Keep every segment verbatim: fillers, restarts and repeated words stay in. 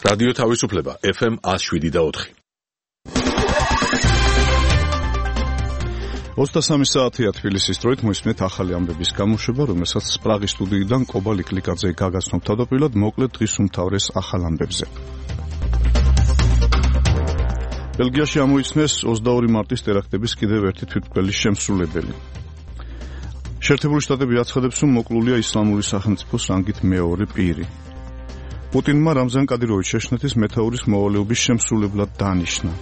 რადიო თავისუფლება ეფ ემ one oh seven და four. ოცდასამი საათია თბილისის დროით მოისმენთ ახალი ამბების გამოშვება, რომელსაც პრაღის სტუდიიდან კობა ლიკლიკაძე გაგაცნობ თავდაპირველად მოკლედ დღის უმთავრეს ახალ ამბებზე. ბელგიაში ამოიცნეს ოცდაორი მარტის ტერაქტების კიდევ ერთი თვითმკვლელის შემსრულებელი. შეერთებული შტატები აცხადებს, რომ მოკლულია ისლამური სახელმწიფოს რანგით მეორე პირი. პუტინმა რამზან კადიროვიჩ შეშნეთის მეთაურის მოვალეობის შემსრულებლად დანიშნა.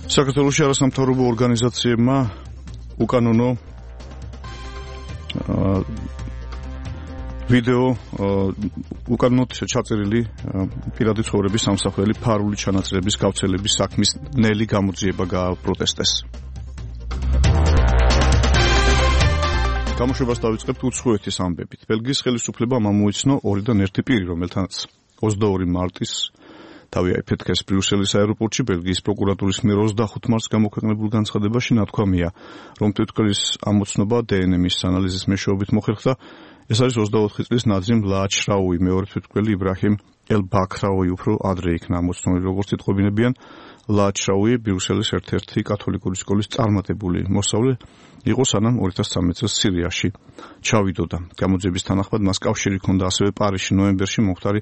საქართველოში არასამთავრობო ორგანიზაციებმა უკანონო ვიდეო უკანონოდ ჩაწერილი პირადი ცხოვრების სამსახურელი ფარული ჩანაწერების გავრცელების საქმის ნელი გამოძიება გააპროტესტეს. გამოშვებას დავიწყებთ უცხოეთის ამბებით. ბელგიის ხელისუფლებამ ამოიცნო ორიდან ერთი პირი, რომელთანაც ოცდაორი მარტის თავი აიფეთქეს ბრიუსელის აეროპორტში. ბელგიის პროკურატურის მიერ ოცდახუთ მარტს გამოქვეყნებულ განცხადებაში ნათქვამია, რომ თვითმკვლელის ამოცნობა დე ენ ემის ანალიზის მეშვეობით მოხერხდა. ეს არის ოცდაოთხი წლის ნაძრიმ ლააჩრაუი, მეორე თვითმკვლელი იბრაჰიმ ელ-ბაქრაუი უფრო ადრე იქნა ამოცნული, როგორც იტყობინებიან. ლააჩრაუი ბრიუსელის ერთ-ერთი კათოლიკური სკოლის წარმატებული მოსწავლე იყო, სანამ ორი ათას ცხრამეტ წელს სირიაში ჩავიდოდა. გამოძიების თანახმად მას კავშირი ჰქონდა ასევე პარიზში ნოემბერში მომხდარი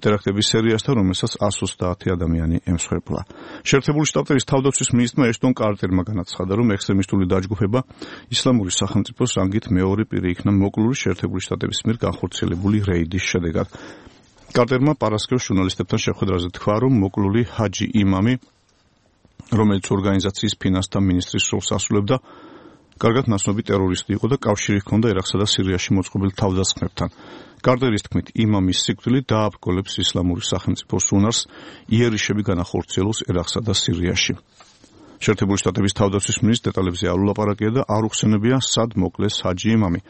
ტერაქტების სერიასთან, რომელსაც one hundred twenty ადამიანი ემსხვერპლა. შეერთებული შტატების თავდაცვის მინისტრმა ეშტონ კარტერმა განაცხადა, რომ ექსტრემისტული დაჯგუფება ისლამური სახელმწიფოს რანგით მეორე პირი იქნა მოკლული შეერთებული შტატების მიერ განხორციელებული რეიდის შედეგად. კარტერმა პარასკევს ჟურნალისტებთან შეხვედრაზე თქვა, რომ მოკლული ჰაჯი იმამი, რომელიც ორგანიზაციის ფინანსთა მინისტრის როლს ასრულებდა, კარგად ნაცნობი ტერორისტი იყო და კავშირი ჰქონდა ერაყსა და სირიაში მოწყობილ თავდასხმებთან. კარტერის თქმით, იმამის სიკვდილი დააბრკოლებს ისლამური სახელმწიფოს უნარს იერიშები განახორციელოს ერაყსა და სირიაში. შეერთებული შტატების თავდაცვის მინისტრს დეტალებზე არ ულაპარაკია და არ უხსენებია, სად მოკლეს ჰაჯი იმამი.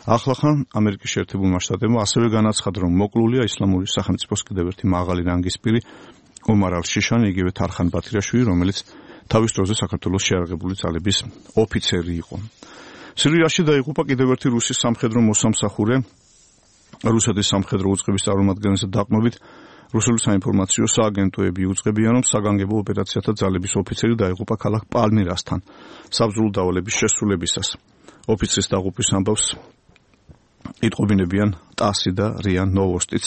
ახლახან ამერიკის შეერთებულმა შტატებმა ასევე განაცხადა, რომ მოკლულია ისლამური სახელმწიფოს კიდევ ერთი მაღალი რანგის პირი ომარ ალ-შიშანი, იგივე თარხან ბათირაშვილი, რომელიც თავის დროზე საქართველოს შეიარაღებული ძალების ოფიცერი იყო. სირიაში დაიღუპა კიდევ ერთი რუსის სამხედრო მოსამსახურე. რუსეთის სამხედრო უწყების წარმომადგენელთა დაყრდნობით რუსული საინფორმაციო სააგენტოები უწყებიან, რომ საგანგებო ოპერაციათა ძალების ოფიცერი დაიღუპა ქალაქ პალმირასთან საბრძოლო დავალების შესრულებისას. ოფიცრის დაღუპვის ამბავს იტყობინებიან ტასი და რია ნოვოსტიც.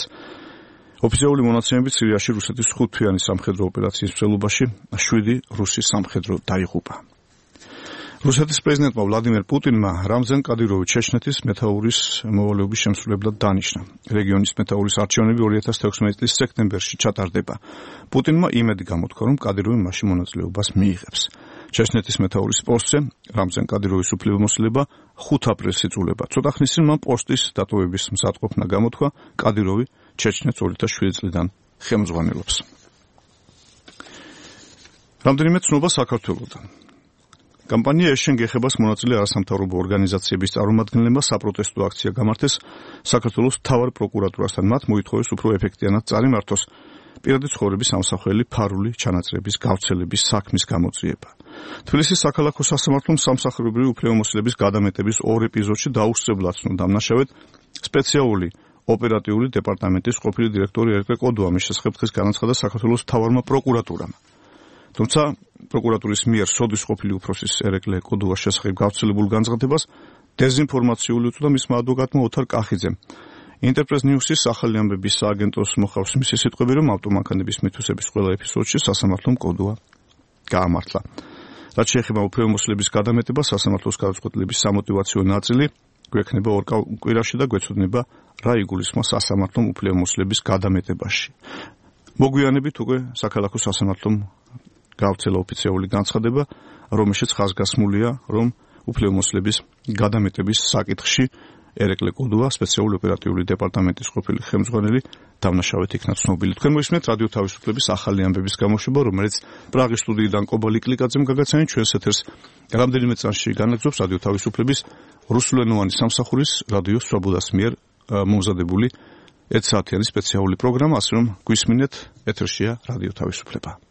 ოფიციალური მონაცემებით სირიაში რუსეთის ხუთთვიანი სამხედრო ოპერაციის მსვლელობაში შვიდი რუსი სამხედრო დაიღუპა. რუსეთის პრეზიდენტმა ვლადიმერ პუტინმა რამზან კადიროვიჩ შეშნეთის მეთაურის მოვალეობის შემსრულებლად დანიშნა. რეგიონის მეთაურის არჩევნები ორი ათას თექვსმეტი წლის სექტემბერში ჩატარდება. პუტინმა იმედი გამოთქვა, რომ კადიროვი მასში მონაწილეობას მიიღებს. შეშნეთის მეთაურის პოსტზე რამზან კადიროვის უფლებამოსილება ხუთ აპრილს იწულება. ცოტა ხნის წინ მან პოსტის დატოვების მზადყოფნა გამოთქვა. კადიროვი ჩეჩნეთს ორი ათას შვიდი წლიდან ხელმძღვანელობს. რამდენიმე ცნობა საქართველოდან. კამპანია ეშენ გეხებას მონაწილე არასამთავრობო ორგანიზაციების წარმომადგენლებმა საპროტესტო აქცია გამართეს საქართველოს მთავარ პროკურატურასთან. მათ მოითხოვეს უფრო ეფექტიანად წარიმართოს პირადი ცხოვრების სამსახურელი ფარული ჩანაწერების გავრცელების საქმის გამოძიება. თბილისის საქალაქო სასამართლომ სამსახურებრივი უფლებამოსილების გადამეტების ორ ეპიზოდში დაუსწრებლად ცნო დამნაშავედ სპეციალური ოპერატიული დეპარტამენტის ყოფილი დირექტორი ერეკლე კოდუა. მის შესახებ დღეს განაცხადა საქართველოს მთავარმა პროკურატურამ. თუმცა პროკურატურის მიერ სოდის ყოფილი უფროსის ერეკლე კოდუას შესახებ გავრცელებულ განცხადებას დეზინფორმაციული უწოდა მისმა ადვოკატმა ოთარ კახიძემ. ინტერპრეს ნიუსის ახალი ამბების სააგენტოს მოხავს მისი სიტყვები, რომ ავტომანქანების მითვისების ყველა ეპიზოდში სასამართლომ კოდუა გაამართლა. რაც შეეხება უფლებამოსილების გადამეტებას, სასამართლოს გადაწყვეტილების სამოტივაციო ნაწილი გვექნება ორ კვირაში და გვეცოდნება რა იგულისხმება სასამართლომ უფლებამოსილების გადამეტებაში. მოგვიანებით უკვე საქალაქო სასამართლომ გავრცელა ოფიციალური განცხადება, რომელშიც ხაზგასმულია, რომ უფლებამოსილების გადამეტების საკითხში ერეკლე კოდუა, სპეციალური ოპერატიული დეპარტამენტის ყოფილი ხელმძღვანელი, დამნაშავედ იქნა ცნობილი. თქვენ მოისმენთ რადიო თავისუფლების ახალი ამბების გამოშვება, რომელიც პრაღის სტუდიიდან კობა ლიკლიკაძემ გაგაცანით. ჩვენს ეთერს რამდენიმე წამში განაგრძობს რადიო თავისუფლების რუსულენოვანი სამსახურის რადიო სვაბოდას მიერ მომზადებული ერთ საათიანი სპეციალური პროგრამა, ასე რომ გვისმინეთ, ეთერშია რადიო თავისუფლება.